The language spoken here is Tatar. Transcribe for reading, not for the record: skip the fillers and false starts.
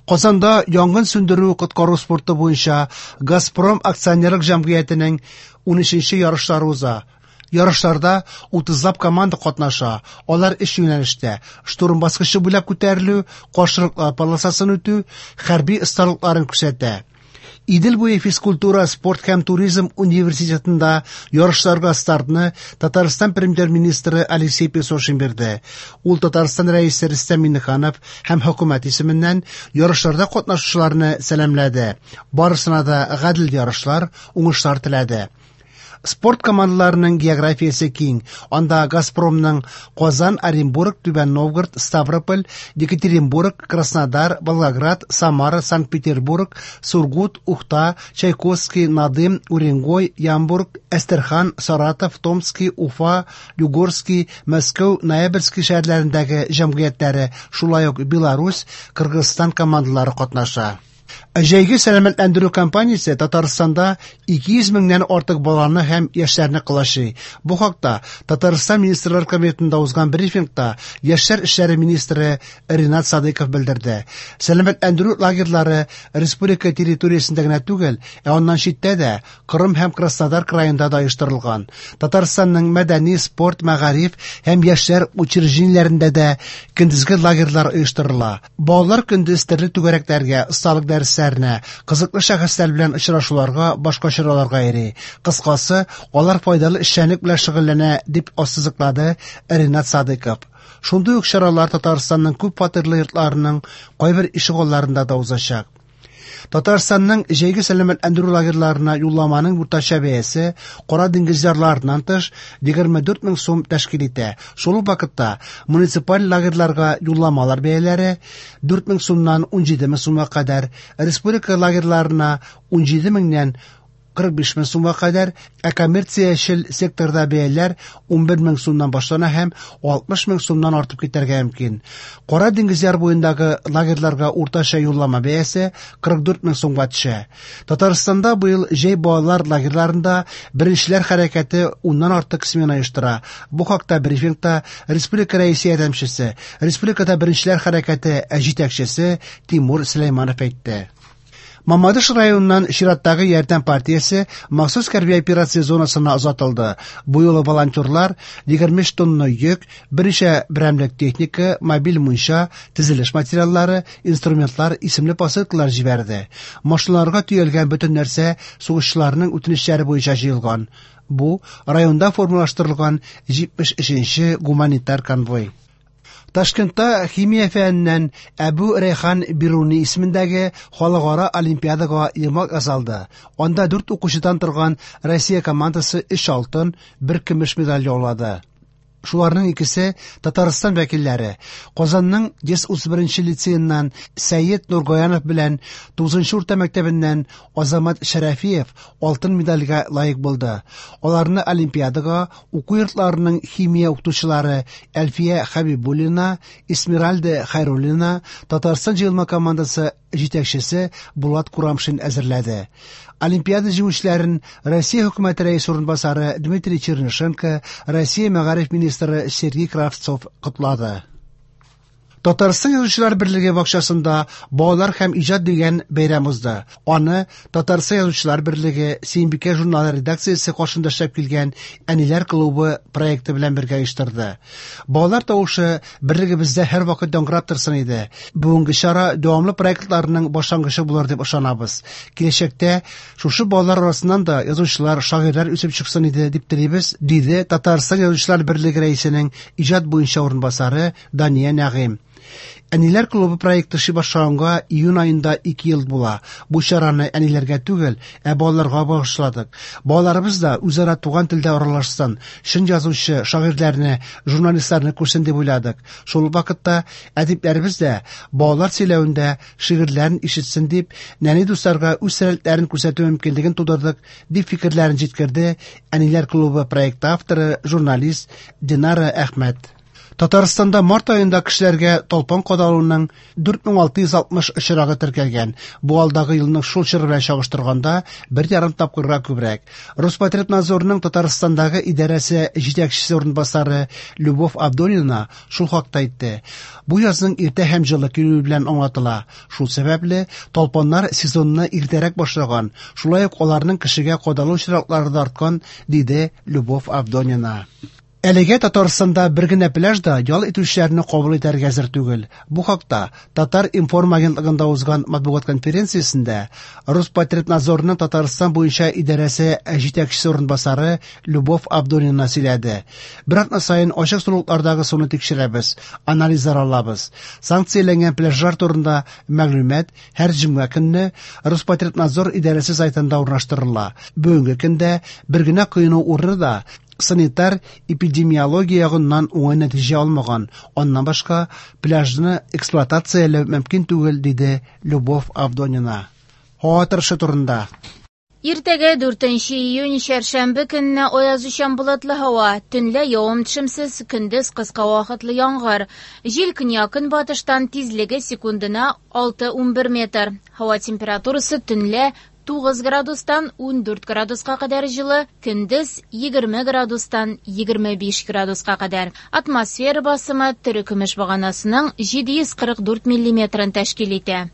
Казанда янгын сүндерү-коткару спорты буенча «Газпром» акционерлык җәмгыятенең 13нче ярышлары уза. Ярышларда утызлап команда катнаша. Алар өч юнәлештә: штурм баскычы буйлап күтәрелү, каршылыклар полосасын үтү, хәрби осталыкларын күрсәтә. Идел буе физкультура, спорт һәм туризм университетында ярышларга стартны Татарстан премьер-министры Алексей Песошин бирде. Ул Татарстан Рәисе Рөстәм Миңнеханов һәм хөкүмәт исеменнән ярышларда катнашучыларны сәламләде. Барысына да гадел ярышлар, уңышлар теләде. Спорт командаларының географиясе киң. Анда «Газпромның» Казан, Оренбург, Түбән Новгород, Ставрополь, Екатеринбург, Краснодар, Волгоград, Самара, Санкт-Петербург, Сургут, Ухта, Чайковский, Надым, Уренгой, Ямбург, Әстерхан, Саратов, Томский, Уфа, Югорский, Мәскәү, Ноябрьский шәһәрләрендәге җәмгыятьләре, шулай ук Беларусь, Кыргызстан командалары катнаша. Җәйге сәламәтләндерү кампаниясе Татарстанда 200 меңнән артык баланы һәм яшьләрне колачлый. Бу хакта Татарстан Министрлар Кабинетында узган брифингта яшьләр эшләре министры Ринат Садыйков белдерде. Сәламәтләндерү лагерьлары республика территориясендә генә түгел, ә аннан читтә дә, Кырым һәм Краснодар краенда да оештырылган. Татарстанның мәдәни, спорт, мәгариф һәм яшьләр учреждениеләрендә дә көндезге лагерьлар оештырыла. Балалар көндез төрле түгәрәкләргә, осталык дәресләренә, кызыклы шәхесләр белән очрашуларга, башка чараларга йөри. Кыскасы, алар файдалы эшчәнлек белән шөгыльләнә, дип ассызыклады Ринат Садыйков. Шундый ук чаралар Татарстанның күп фатирлы йортларының кайбер ишегалларында да узачак. Татарстанның җәйге сәламәтләндерү лагерьларына юлламаның уртача бәясе Кара диңгез ярларыннан тыш 24 мең сум тәшкил итә. Шул ук вакытта муниципаль лагерьларга юлламалар бәяләре 4 мең сумнан 17 мең сумга кадәр, республика лагерьларына 17 меңнән 45 мең сумга кадәр, ә коммерциячел секторда бәяләр 11 мең сумнан башлана һәм 60 мең сумнан артып китәргә мөмкин. Кара диңгез яр буендагы лагерьларга уртача юллама бәясе 44 мең сумга төшә. Татарстанда быел җәй балалар лагерьларында Беренчеләр хәрәкәте уннан артык смена оештыра. Бу хакта брифингта республика Рәисе ярдәмчесе, республикада Беренчеләр хәрәкәте җитәкчесе Тимур Сөләйманов әйтте. Мамадыш районыннан чираттагы ярдәм партиясе махсус хәрби операция зонасына озатылды. Бу юлы волонтерлар 23 тонна йөк, берничә берәмлек техника, мобиль мунча, төзелеш материаллары, инструментлар исемле посылкалар җибәрде. Машиналарга төялгән бөтен нәрсә сугышчыларның үтенечләре буенча җыелган. Бу районда формалаштырылган 73 нче гуманитар конвой. Ташкентта химия фәненнән Әбү Рәйхан Бируни исемендәге халыкара олимпиадага йомгак ясалды. Анда дүрт укучыдан торган Россия командасы өч алтын, бер көмеш медаль яулады. Шуларның икесе Татарстан вәкилләре. Казанның 131 нче лицееннан Сәет Нургаянов белән 9 нчы урта мәктәбеннән Азамат Шәрәфиев алтын медальгә лаек булды. Аларны олимпиадага Уку йортларының химия укытучылары Әлфия Хәбибуллина, Эсмеральда Хәйруллина, Татарстан җыелма командасы җитәкчесе Булат Курамшин әзерләде. Олимпиада җиңүчеләрен Россия Хөкүмәте Рәисе урынбасары Дмитрий Чернышенко, Россия мәгариф министры Сергей Кравцов котлады. Татарстан Язучылар берлеге бакчасында Балалар һәм иҗат дигән бәйрәм узды. Аны Татарстан Язучылар берлеге Сөембикә журналы редакциясе каршында эшләп килгән Әниләр клубы проекты белән бергә оештырды. Балалар тавышы берлегебездә һәрвакыт яңгырап торсын иде. Бүгенге чара дәвамлы проектларның башлангычы булыр дип ышанабыз. Киләчәктә шушы балалар арасыннан да язучылар, шагыйрьләр үсеп чыксын иде дип телибез, диде Татарстан Язучылар берлеге рәисенең иҗат буенча урынбасары Дания Нәгыйм. Әниләр клубы проекты эшли башлаганга июнь аенда ике ел була. Бу чараны әниләргә түгел, ә балаларга багышладык. Балаларыбыз да үзара туган телдә аралашсын, чын язучы, шагыйрьләрне, журналистларны күрсен дип уйладык. Шул ук вакытта әдипләребез дә балалар сөйләвендә шигырьләрен ишетсен дип, нәни дусларга үз сәләтләрен күрсәтү мөмкинлеген тудырдык, дип фикерләрен җиткерде Әниләр клубы проекты авторы, журналист Динара Әхмәт. Татарстанда март аенда кешеләргә талпан кадалуның 4660 очрагы теркәлгән. Бу алдагы елның шул чоры белән чагыштырганда 1,5 тапкырга күбрәк. Роспотребнадзорның Татарстандагы идарәсе җитәкчесе урынбасары Любовь Авдонина шул хакта әйтте. Бу язның иртә һәм җылы килүе белән аңлатыла. Шул сәбәпле талпаннар сезонны иртәрәк башлаган, шулай ук аларның кешегә кадалу очраклары да арткан, диде Любовь Авдонина. Әлегә Татарстанда бер генә пляж да ял итүчеләрне кабул итәргә әзер түгел. Бу хакта Татар-информ агентлыгында узган матбугат конференциясендә Роспотребнадзорның Татарстан буенча идарәсе җитәкчесе урынбасары Любовь Авдонина сөйләде. Бер атна саен ачык сулыклардагы суны тикшерәбез, анализлар алабыз. Санкцияләнгән пляжлар турында мәгълүмат һәр җомга көнне Роспотребнадзор идарәсе сайтында урнаштырыла. Бүгенге көндә бер генә коену урыны да санитар эпидемиология ягыннан уңай нәтиҗә алмаган. Аннан башка пляжны эксплуатацияләү мөмкин түгел, диде Любовь Авдонина. Һава торышы турында. Иртәгә 4 июнь чәршәмбе көнне аязучан болытлы һава, төнлә явым-төшемсез, көндез кыска вакытлы яңгыр. Җил көньяк-көнбатыштан, тизлеге секундына 6-11 метр. Һава температурасы төнлә 9 градустан 14 градуска кадәр җылы, көндез 20 градустан 25 градуска кадәр. Атмосфера басымы терекөмеш баганасының 744 миллиметрын тәшкил итә.